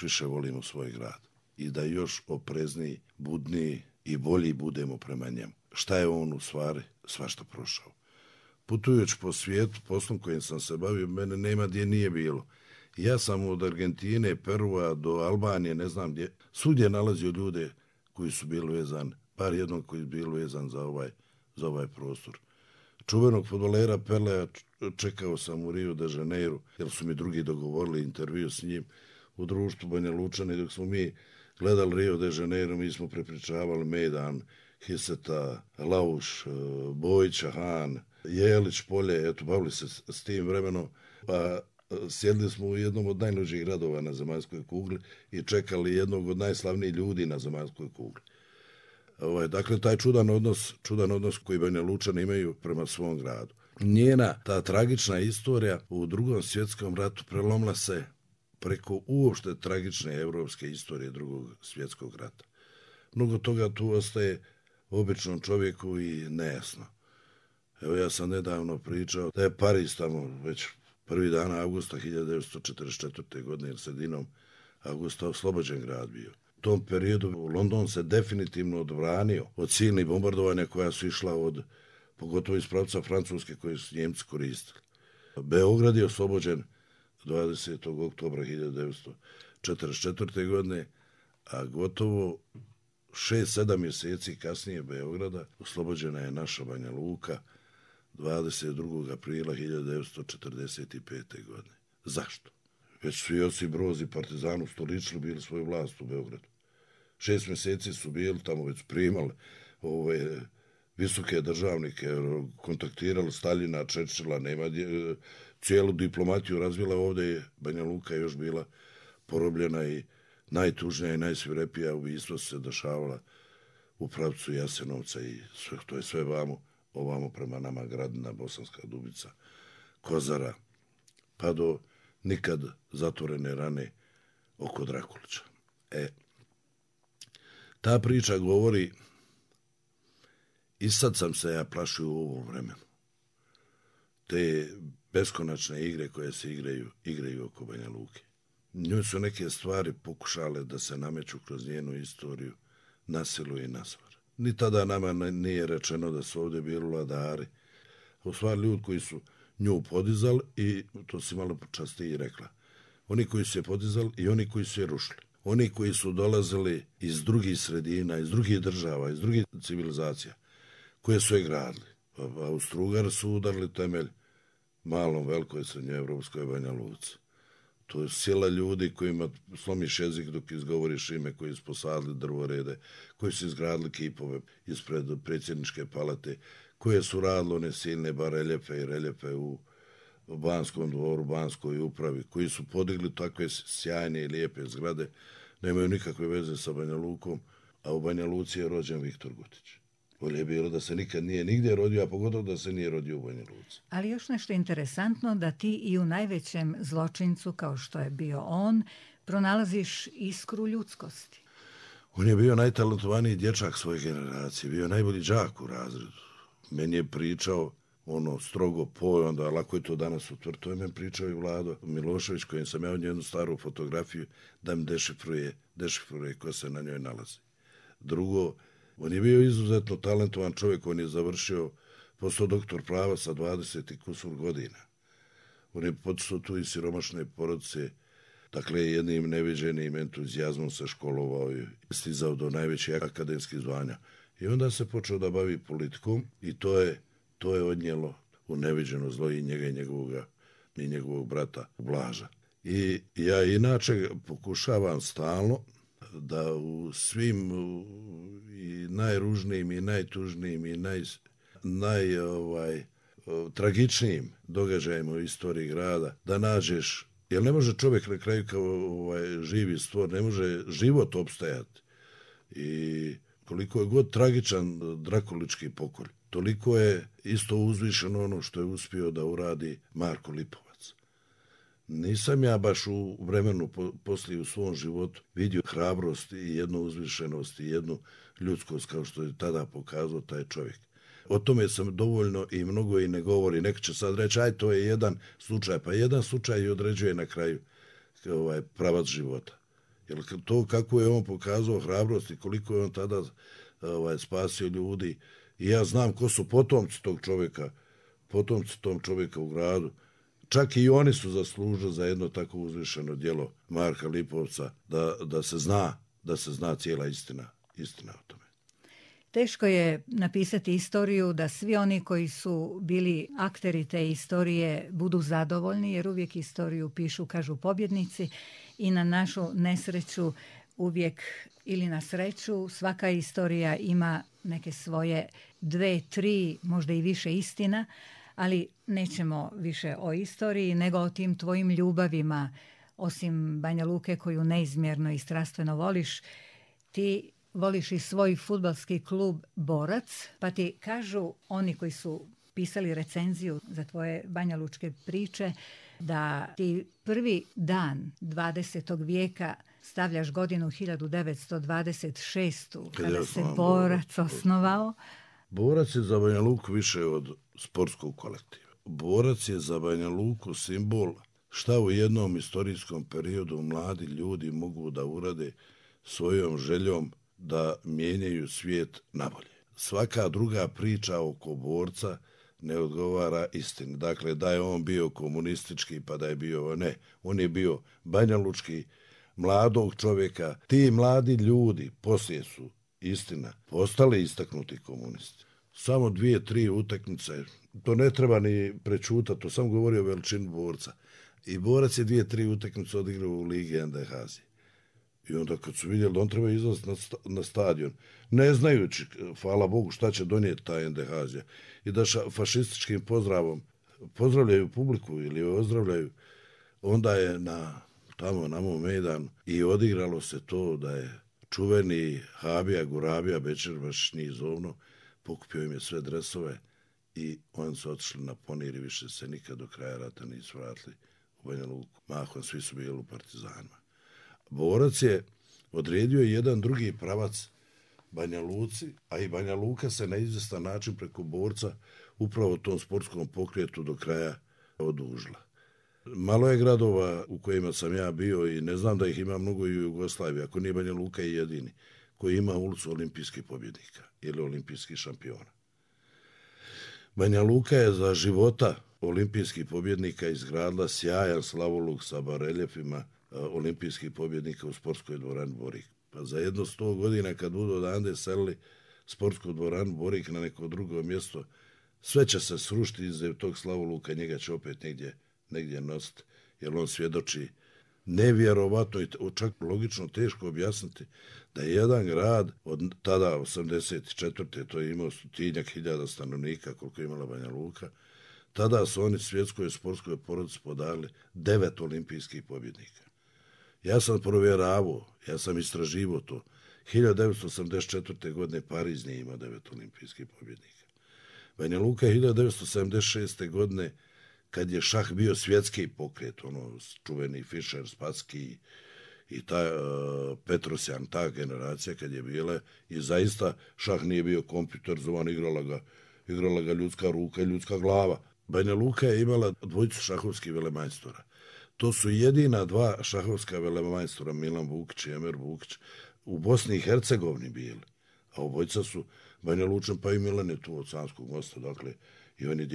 više volimo svoj grad i da još oprezniji, budniji i bolji budemo prema njemu. Šta je on u stvari svašta prošao? Putujući po svijetu, poslom kojim sam se bavio, mene nema gdje nije bilo. Ja sam od Argentine, Perua do Albanije, ne znam gdje, svugdje nalazio ljude koji su bili vezani, bar jednog koji je bio vezan za ovaj prostor. Čuvenog fudbalera Pelea čekao sam u Rio de Janeiro, jer su mi drugi dogovorili intervju s njim u društvu Banja Lučani. Dok smo mi gledali Rio de Janeiro, mi smo prepričavali Medan, Hiseta, Lauš, Bojića, Han, Jelić, Polje, eto, bavili se s tim vremenom, pa sjedli smo u jednom od najluđih gradova na zemaljskoj kugli i čekali jednog od najslavnijih ljudi na zemaljskoj kugli. Dakle, taj čudan odnos koji Banja Lučani imaju prema svom gradu. Njena ta tragična istorija u Drugom svjetskom ratu prelomila se preko uopšte tragične evropske istorije Drugog svjetskog rata. Mnogo toga tu ostaje običnom čovjeku i nejasno. Evo, ja sam nedavno pričao da je Pariz tamo već prvi dana avgusta 1944. godine ili sredinom avgusta oslobođen grad bio. U tom periodu London se definitivno odbranio od silnih bombardovanja koja su išla pogotovo iz pravca Francuske koje su Njemci koristili. Beograd je oslobođen 20. oktobra 1944. godine, a gotovo 6-7 mjeseci kasnije Beograda oslobođena je naša Banja Luka 22. aprila 1945. godine. Zašto? Već su Josip Broz i Partizan ustoličili, bili svoju vlast u Beogradu. 6 mjeseci su bili tamo, već primali visoke državnike, kontaktirali Staljina, Čečila, nema cijelu diplomatiju razvila ovdje je Banja Luka još bila porobljena i najtužnija i najsvirepija ubistva su se dešavala u pravcu Jasenovca i sve, to je sve ovamo prema nama Gradina, Bosanska Dubica, Kozara, pa do nikad zatvorene rane oko Drakulića. Ta priča govori i sad sam se ja plašio u ovom vremenu. Te beskonačne igre koje se igraju oko Banja Luke. Njoj su neke stvari pokušale da se nameću kroz njenu istoriju na silu i na svar. Ni tada nama nije rečeno da su ovdje bili vladari. U stvari ljudi koji su nju podizali i to si malo časti i rekla. Oni koji su je podizali i oni koji su je rušili. Oni koji su dolazili iz drugih sredina, iz drugih država, iz drugih civilizacija, koje su je gradili. Austro-Ugari su udarili temelj malom, velikoj, srednjoevropskoj Banja Luci. To je sila ljudi kojima slomiš jezik dok izgovoriš ime, koji su posadili drvorede, koji su izgradili kipove ispred predsjedničke palate, koje su radili one silne bareljefe i reljefe u Banskom dvoru, Banskoj upravi, koji su podigli takve sjajne i lijepe zgrade, nemaju nikakve veze sa Banja Lukom, a u Banja Luci je rođen Viktor Gutić. Bolje je bilo da se nikad nije nigdje rodio, a pogotovo da se nije rodio u Banja Luci. Ali još nešto interesantno, da ti i u najvećem zločincu, kao što je bio on, pronalaziš iskru ljudskosti. On je bio najtalentovaniji dječak svoje generacije, bio najbolji đak u razredu. Meni je pričao ono strogo onda lako je to danas utvrditi. To je meni pričao i Vlado Milošević, kojem sam ja od jednu staru fotografiju da mi dešifruje ko se na njoj nalazi. Drugo, on je bio izuzetno talentovan čovjek, on je završio, postao doktor prava sa 20 i kusur godina. On je potisao tu iz siromašne porodice, dakle jednim neviđenim entuzijazmom se školovao i stizao do najvećih akademskih zvanja. I onda se počeo da bavi politikom i to je odnijelo u neviđeno zlo i njega i njegovog brata Blaža. I ja inače pokušavam stalno da u svim i najružnijim i najtužnijim i tragičnijim događajima u istoriji grada da nađeš, jer ne može čovjek na kraju kao živi stvor, ne može život opstajati. I koliko je god tragičan drakulički pokolj, toliko je isto uzvišeno ono što je uspio da uradi Marko Lipovac. Nisam ja baš u vremenu poslije u svom životu vidio hrabrost i jednu uzvišenost i jednu ljudskost kao što je tada pokazao taj čovjek. O tome sam dovoljno i mnogo i ne govori. Neko će sad reći, aj to je jedan slučaj, pa jedan slučaj i određuje na kraju pravac života. Jer to kako je on pokazao hrabrost i koliko je on tada spasio ljudi. I ja znam ko su potomci tom čovjeka u gradu. Čak i oni su zaslužili za jedno tako uzvišeno djelo Marka Lipovca da se zna cijela istina o tome. Teško je napisati istoriju da svi oni koji su bili akteri te istorije budu zadovoljni, jer uvijek istoriju pišu, kažu, pobjednici, i na našu nesreću uvijek, ili na sreću, svaka istorija ima neke svoje 2, 3, možda i više istina, ali nećemo više o istoriji nego o tim tvojim ljubavima. Osim Banja Luke koju neizmjerno i strastveno voliš, ti voliš i svoj fudbalski klub Borac, pa ti kažu oni koji su pisali recenziju za tvoje banjalučke priče da ti prvi dan 20. vijeka stavljaš godinu 1926. kada se Borac osnovao. Borac je za Banja Luku više od sportskog kolektiva. Borac je za Banja Luku simbol šta u jednom istorijskom periodu mladi ljudi mogu da urade svojom željom da mijenjaju svijet nabolje. Svaka druga priča oko Borca ne odgovara istini. Dakle, da je on bio komunistički, pa da je bio, ne, on je bio banjalučki, mladog čovjeka. Ti mladi ljudi poslije su, istina, postali istaknuti komunisti. Samo 2-3 utakmice, to ne treba ni prečutati, to sam govorio o veličini Borca. I Borac je 2-3 utakmice odigrao u Ligi NDH-a. I onda kad su vidjeli da on treba izlaziti na stadion, ne znajući, hvala Bogu, šta će donijeti ta NDH-zija, i da fašističkim pozdravom pozdravljaju publiku ili ozdravljaju, onda je tamo na mom mejdanu i odigralo se to da je čuveni Habija Gurabija Bećirbaš njih zovno, pokupio im je sve dresove i oni su otišli na Ponir i više se nikad do kraja rata nisu vratili u Banja Luku. Mahom svi su bili u partizanima. Borac je odredio jedan drugi pravac Banja Luci, a i Banja Luka se na izvjestan način preko borca upravo tom sportskom pokretu do kraja odužila. Malo je gradova u kojima sam ja bio i ne znam da ih ima mnogo i u Jugoslaviji, ako nije Banja Luka i jedini, koji ima ulicu olimpijskih pobjednika ili olimpijskih šampiona. Banja Luka je za života olimpijskih pobjednika izgradila sjajan slavoluk sa bareljefima olimpijskih pobjednika u sportskoj dvorani Borik. Pa za jedno 100 godina kad budu odande selili sportsku dvoranu Borik na neko drugo mjesto, sve će se srušiti iz tog slavoluka, njega će opet negdje nositi, jer on svjedoči nevjerovatno i čak logično teško objasniti da je jedan grad od tada 84. to je imao 100.000 stanovnika koliko je imala Banja Luka, tada su oni svjetskoj sportskoj porodici podali 9 olimpijskih pobjednika. Ja sam provjeravao, ja sam istraživao to. 1984. godine Pariz nije imao 9 olimpijskih pobjednika. Banja Luka je 1976. godine, kad je šah bio svjetski pokret, čuveni Fischer, Spasski i ta Petrosjan, ta generacija kad je bila, i zaista šah nije bio kompjuterizovan, igrala ga ljudska ruka i ljudska glava. Banja Luka je imala dvojicu šahovskih velemajstora. To su jedina dva šahovska velemajstora, Milan Vukić i Emer Vukić, u Bosni i Hercegovini bili. A obojica su Banja Lučan, pa i Milan je tu od Sanskog mosta, dakle, i on je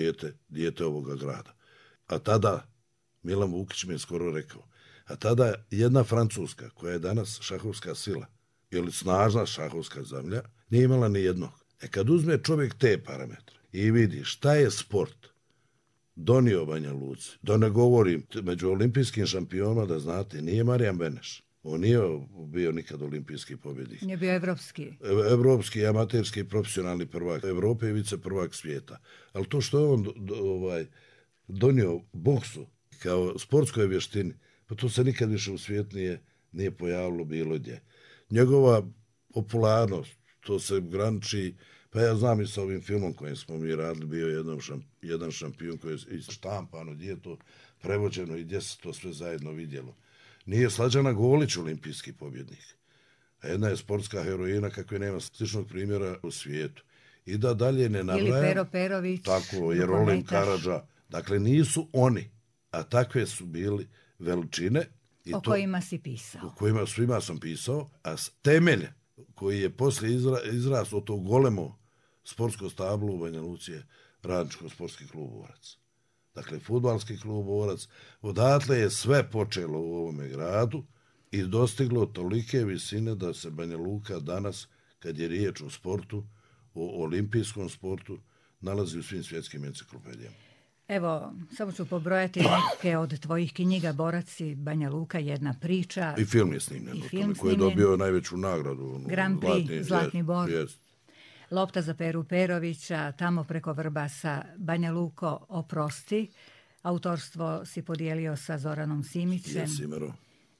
dijete ovoga grada. A tada, Milan Vukić mi je skoro rekao, a tada jedna Francuska, koja je danas šahovska sila, ili snažna šahovska zemlja, nije imala ni jednog. Kad uzme čovjek te parametre i vidi šta je sport donio Banja Luci, da ne govorim, među olimpijskim šampionima, da znate, nije Marijan Beneš. On nije bio nikad olimpijski pobjednik. Nije bio evropski. Evropski, amaterski, profesionalni prvak Evrope i vice prvak svijeta. Ali to što je on donio boksu kao sportskoj vještini, pa to se nikad više u svijetu nije pojavilo bilo gdje. Njegova popularnost, to se graniči, pa ja znam i sa ovim filmom kojim smo mi radili, bio jedan šampion koji je štampano, gdje je to prevođeno i gdje se to sve zajedno vidjelo. Nije Slađana Golić olimpijski pobjednik, a jedna je sportska heroina kakve nema sličnog primjera u svijetu. I da dalje ne nabrajam. Ili Pero Perović. Tako, Jerolim Karadža. Dakle, nisu oni, a takve su bili veličine. O kojima si pisao. O kojima svima sam pisao, a temelj koji je poslije izrastao to golemo sportsko stablo u Banja Luci je Radničko-sportski klub Borac. Dakle, fudbalski klub Borac. Odatle je sve počelo u ovome gradu i dostiglo tolike visine da se Banja Luka danas, kad je riječ o sportu, o olimpijskom sportu, nalazi u svim svjetskim enciklopedijama. Evo, samo ću pobrojati neke od tvojih knjiga, Borac i Banja Luka, jedna priča. I film je snimljen, koji je dobio najveću nagradu. Grand Prix, Zlatni bor. Lopta za Peru Perovića, Tamo preko Vrbasa, Banja Luko, Oprosti. Autorstvo si podijelio sa Zoranom Simićem.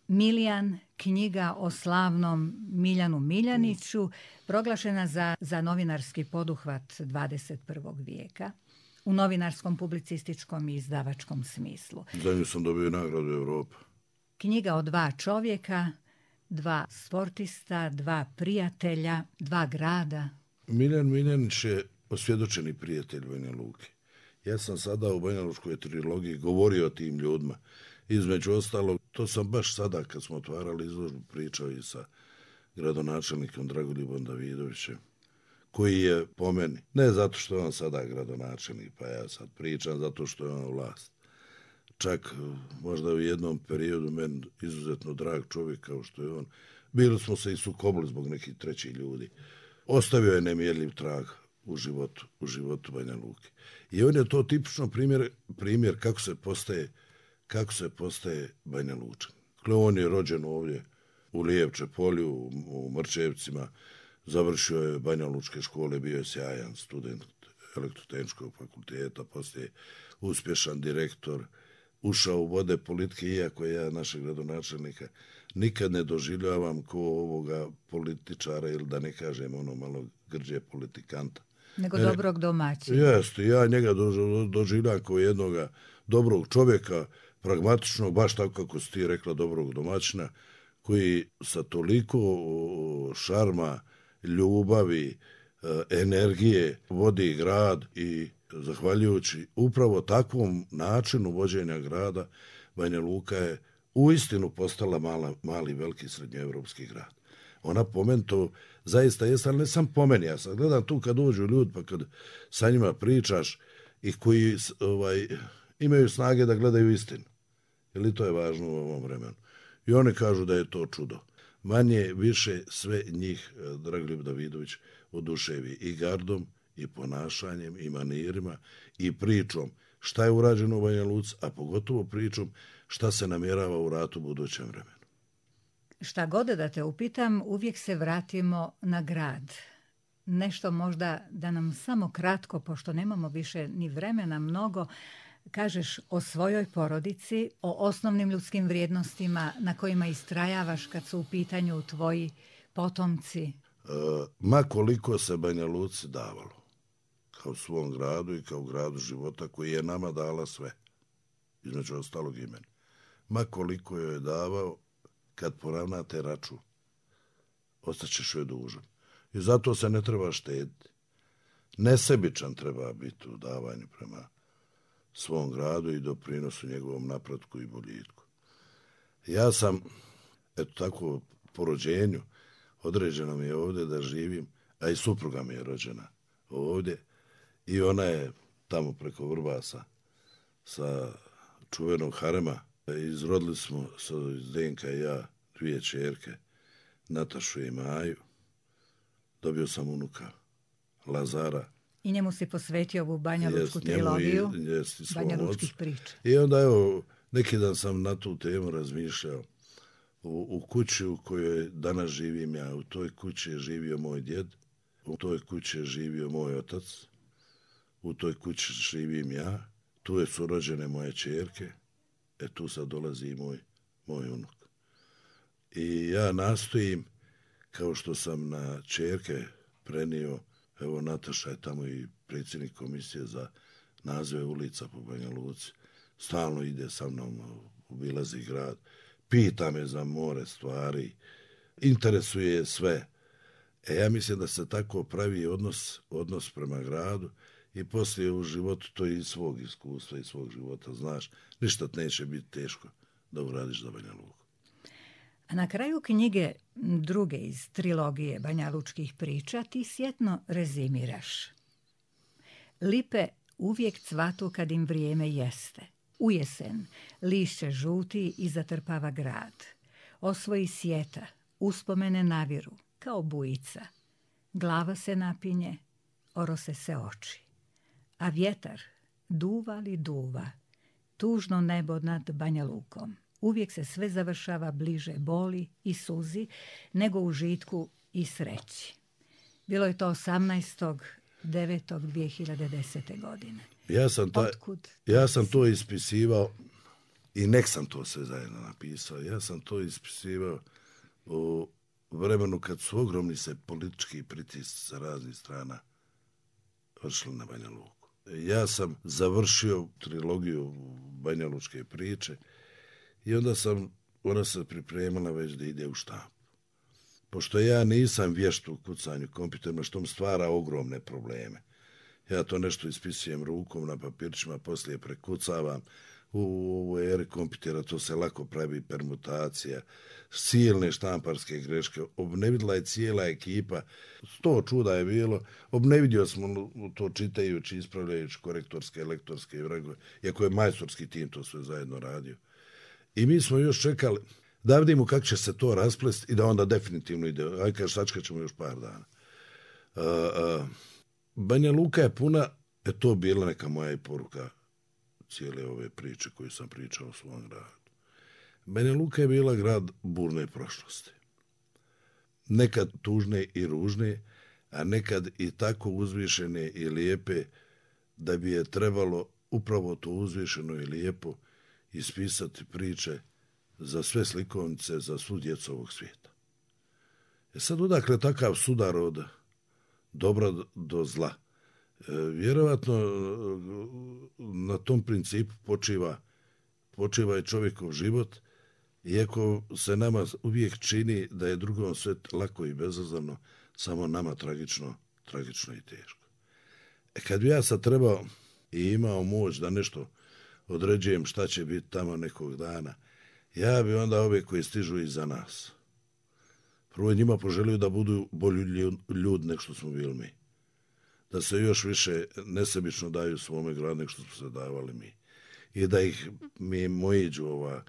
Miljan, knjiga o slavnom Miljanu Miljaniću, proglašena za novinarski poduhvat 21. vijeka. U novinarskom, publicističkom i izdavačkom smislu. Za nju sam dobio nagradu Evropa. Knjiga o dva čovjeka, dva sportista, dva prijatelja, dva grada. Miljan Miljanić je osvjedočeni prijatelj Banja Luke. Ja sam sada u Banja Lučkoj trilogiji govorio o tim ljudima. Između ostalog, to sam baš sada kad smo otvarali izložbu pričao i sa gradonačelnikom Dragoljubom Davidovićem, koji je po meni, ne zato što je on sada gradonačelnik, pa ja sad pričam zato što je on vlast. Čak možda u jednom periodu meni izuzetno drag čovjek kao što je on. Bili smo se i sukobili zbog nekih trećih ljudi. Ostavio je nemjerljiv trag u životu Banja Luke. I on je to tipično primjer kako se postaje Banja Lučan. Dakle, on je rođen ovdje u Lijevče polju, u Mrčevcima, završio je Banja Lučke škole, bio je sjajan student elektrotehničkog fakulteta, poslije uspješan direktor, ušao u vode politike, iako ja našeg gradonačelnika nikad ne doživljavam ko ovoga političara, ili da ne kažem ono malo grđe politikanta. Nego dobrog domaćina. Jeste, ja njega doživljam kao jednoga dobrog čovjeka, pragmatičnog, baš tako kako si ti rekla, dobrog domaćina, koji sa toliko šarma, ljubavi, energije vodi grad i zahvaljujući upravo takvom načinu vođenja grada, Banja Luka je uistinu postala mali, veliki srednjoevropski grad. Ona po meni to zaista jest, ali ne sam po meni. Ja sad gledam tu kad dođu ljudi, pa kad sa njima pričaš i koji imaju snage da gledaju istinu. Jer to je važno u ovom vremenu. I oni kažu da je to čudo. Manje, više sve njih Dragoljub Davidović oduševi i gardom, i ponašanjem, i manirima, i pričom šta je urađeno u Banja Luci, a pogotovo pričom šta se namjerava u ratu u budućem vremenu. Šta god da te upitam, uvijek se vratimo na grad. Nešto možda da nam samo kratko, pošto nemamo više ni vremena mnogo, kažeš o svojoj porodici, o osnovnim ljudskim vrijednostima na kojima istrajavaš kad su u pitanju tvoji potomci. Ma koliko se Banja Luci davalo, kao svom gradu i kao gradu života koji je nama dala sve, između ostalog i meni. Ma koliko joj je davao, kad poravnate račun, ostaćeš joj dužan. I zato se ne treba štediti. Nesebičan treba biti u davanju prema svom gradu i doprinosu njegovom napretku i boljitku. Ja sam, eto tako, po rođenju, određeno mi je ovdje da živim, a i supruga mi je rođena ovdje i ona je tamo preko Vrbasa sa čuvenog harema. Izrodili smo Zdenka i ja 2 ćerke, Natašu i Maju. Dobio sam unuka Lazara. I njemu si posvetio ovu banjalučku trilogiju, banjalučkih priča. I onda evo, neki dan sam na tu temu razmišljao. U kući u kojoj danas živim ja, u toj kući je živio moj djed, u toj kući je živio moj otac, u toj kući živim ja, tu su rođene moje ćerke, tu sad dolazi i moj unuk. I ja nastojim, kao što sam na ćerke prenio, evo Nataša je tamo i predsjednik komisije za nazive ulica po Banja Luci, stalno ide sa mnom, obilazi grad, pita me za more stvari, interesuje je sve. Ja mislim da se tako pravi odnos prema gradu i poslije u životu to i svog iskustva i svog života, znaš, ništa neće biti teško da uradiš za Banja Luku. A na kraju knjige druge iz trilogije banjalučkih priča ti sjetno rezimiraš. Lipe uvijek cvatu kad im vrijeme jeste. U jesen lišće žuti i zatrpava grad. Osvoji sjeta, uspomene naviru, kao bujica. Glava se napinje, orose se oči. A vjetar duva li duva, tužno nebo nad Banja Lukom. Uvijek se sve završava bliže boli i suzi nego u žitku i sreći. Bilo je to 18.9.2010. godine. Ja sam to ispisivao i nek sam to sve zajedno napisao. Ja sam to ispisivao u vremenu kad su ogromni se politički pritisci sa raznih strana vršili na Banja Luku. Ja sam završio trilogiju banjalučke priče i onda ona se pripremala već da ide u štampu. Pošto ja nisam vješt u kucanju kompjuterima, što mi stvara ogromne probleme. Ja to nešto ispisujem rukom na papirčima, poslije prekucavam. U eri kompjutera to se lako pravi permutacija, silne štamparske greške. Obnevidila je cijela ekipa, 100 čuda je bilo. Obnevidio smo to čitajući, ispravljajući korektorske, lektorske vragove, iako je majstorski tim to sve zajedno radio. I mi smo još čekali da vidimo kako će se to rasplesti i da onda definitivno ide. Ajde kaže, sačekat ćemo još par dana. Banja Luka je puna, to bila neka moja i poruka cijele ove priče koju sam pričao o svom gradu. Banja Luka je bila grad burne prošlosti. nekad tužne i ružne, a nekad i tako uzvišene i lijepe da bi je trebalo upravo to uzvišeno i lijepo ispisati priče za sve slikovnice, za svu djecu ovog svijeta. Sad odakle takav sudar od dobra do zla? Vjerovatno na tom principu počiva i čovjekov život, iako se nama uvijek čini da je drugom sve lako i bezazleno, samo nama tragično i teško. Kad bi ja sad trebao i imao moć da nešto određujem šta će biti tamo nekog dana, ja bi onda ove koji stižu iza nas prvo njima poželio da budu bolji ljudi nek što smo bili mi. Da se još više nesebično daju svome gradu nek što smo se davali mi. I da ih mi mojiđu ova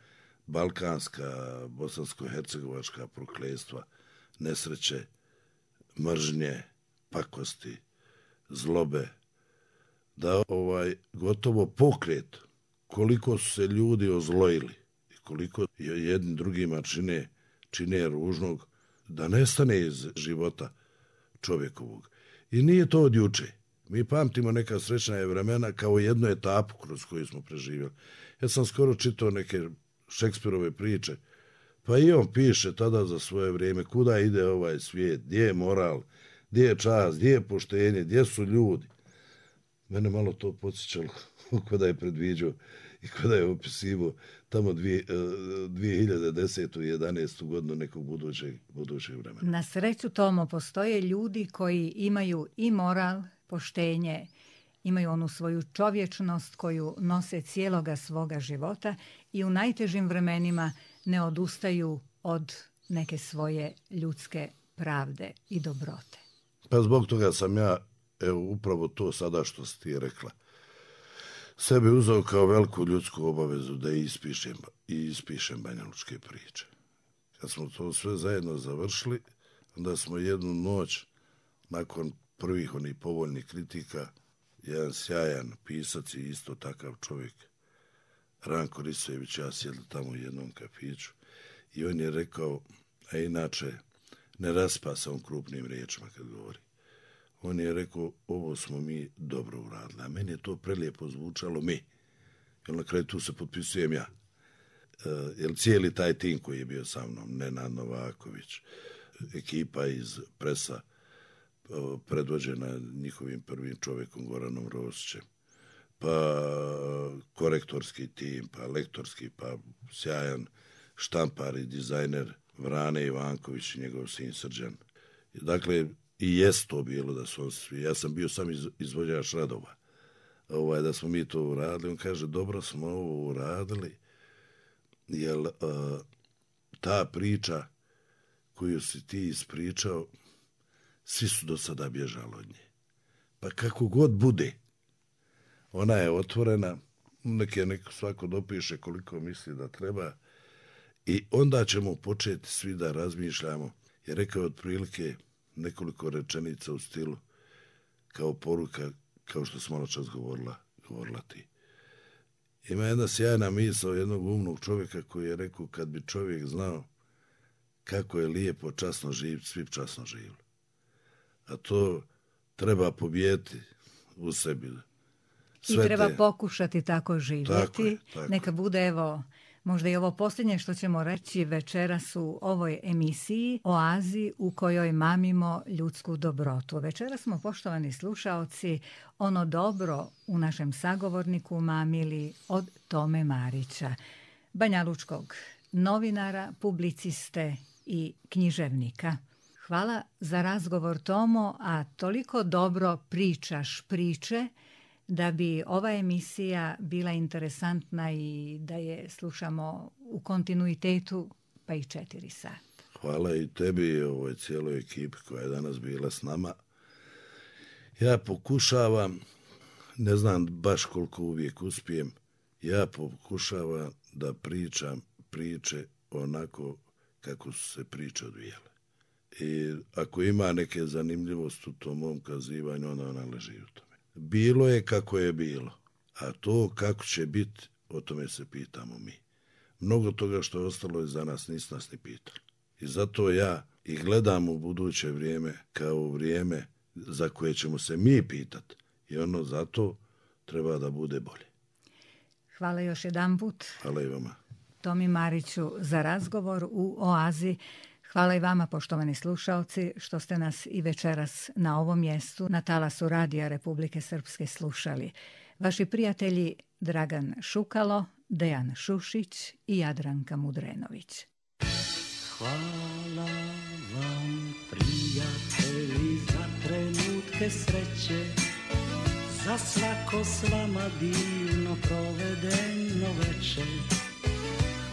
balkanska, bosansko-hercegovačka prokletstva, nesreće, mržnje, pakosti, zlobe, da gotovo pokret koliko su se ljudi ozlojili i koliko jedni drugima čine ružnog, da nestane iz života čovjekovog. I nije to od juče. Mi pamtimo neka srećna vremena kao jednu etapu kroz koju smo preživjeli. Ja sam skoro čitao neke Šekspirove priče, pa i on piše tada za svoje vrijeme kuda ide ovaj svijet, gdje je moral, gdje je čast, gdje je poštenje, gdje su ljudi. Mene malo to podsjećalo kada je predviđao i kada je opisivao tamo 2010. i 11. godinu nekog budućeg vremena. Na sreću, Tomo, postoje ljudi koji imaju i moral, poštenje, imaju onu svoju čovječnost koju nose cijeloga svoga života i u najtežim vremenima ne odustaju od neke svoje ljudske pravde i dobrote. Pa zbog toga sam ja, upravo to sada što si ti rekla, sebi uzeo kao veliku ljudsku obavezu da ispišem banjalučke priče. Kad smo to sve zajedno završili, onda smo jednu noć, nakon prvih onih povoljnih kritika, jedan sjajan pisac i isto takav čovjek, Ranko Risojević, ja sjedli tamo u jednom kafiću i on je rekao, a inače ne raspa se on krupnim riječima kad govori. On je rekao, ovo smo mi dobro uradili, a meni je to prelijepo zvučalo mi. Jer na kraju tu se potpisujem ja. Jer cijeli taj tim koji je bio sa mnom, Nenad Novaković, ekipa iz Presa, predvođena njihovim prvim čovjekom Goranom Rosićem, pa korektorski tim, pa lektorski, pa sjajan štampar i dizajner Vrane Ivanković i njegov sin Srđan. Dakle, i jest to bilo da su svi, ja sam bio sam izvođač radova, da smo mi to uradili. On kaže, dobro smo ovo uradili, jer ta priča koju si ti ispričao, svi su do sada bježali od nje. Pa kako god bude, ona je otvorena, neko svako dopiše koliko misli da treba i onda ćemo početi svi da razmišljamo. Jer rekao je otprilike nekoliko rečenica u stilu kao poruka, kao što smo noćas govorila ti. Ima jedna sjajna misao jednog umnog čovjeka koji je rekao, kad bi čovjek znao kako je lijepo časno živjeti, svi časno živjeli. A to treba pobijeti u sebi. I treba pokušati tako živjeti. Tako. Neka bude, evo, možda i ovo posljednje što ćemo reći večeras u ovoj emisiji Oazi u kojoj mamimo ljudsku dobrotu. Večeras smo, poštovani slušaoci, ono dobro u našem sagovorniku mamili od Tome Marića, banjalučkog novinara, publiciste i književnika. Hvala za razgovor, Tomo, a toliko dobro pričaš priče da bi ova emisija bila interesantna i da je slušamo u kontinuitetu pa i 4 sata. Hvala i tebi i ovoj cijeloj ekipi koja je danas bila s nama. Ja pokušavam, ne znam baš koliko uvijek uspijem, ja pokušavam da pričam priče onako kako su se priče odvijale. I ako ima neke zanimljivosti u tom mom kazivanju, onda ona leži u tome. Bilo je kako je bilo, a to kako će biti, o tome se pitamo mi. Mnogo toga što je ostalo iza nas, nisu nas ni pitali. I zato ja i gledam u buduće vrijeme kao vrijeme za koje ćemo se mi pitati. I ono zato treba da bude bolje. Hvala još jedanput. Hvala i vama. Tomi Mariću za razgovor u Oazi. Hvala i vama, poštovani slušaoci, što ste nas i večeras na ovom mjestu, na talasu Radija Republike Srpske, slušali. Vaši prijatelji Dragan Šukalo, Dejan Šušić i Jadranka Mudrenović. Hvala vam, prijatelji, za trenutke sreće, za svako s vama divno provedeno večer.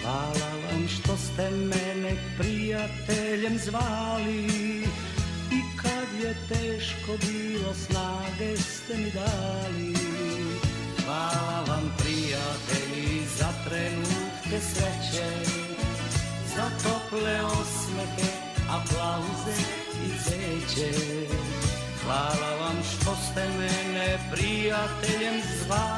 Hvala vam što ste mene prijateljem zvali i kad je teško bilo snage ste mi dali. Hvala vam, prijatelji, za trenutke sreće, za tople osmehe, aplauze i zeće. Hvala vam što ste mene prijateljem zvali.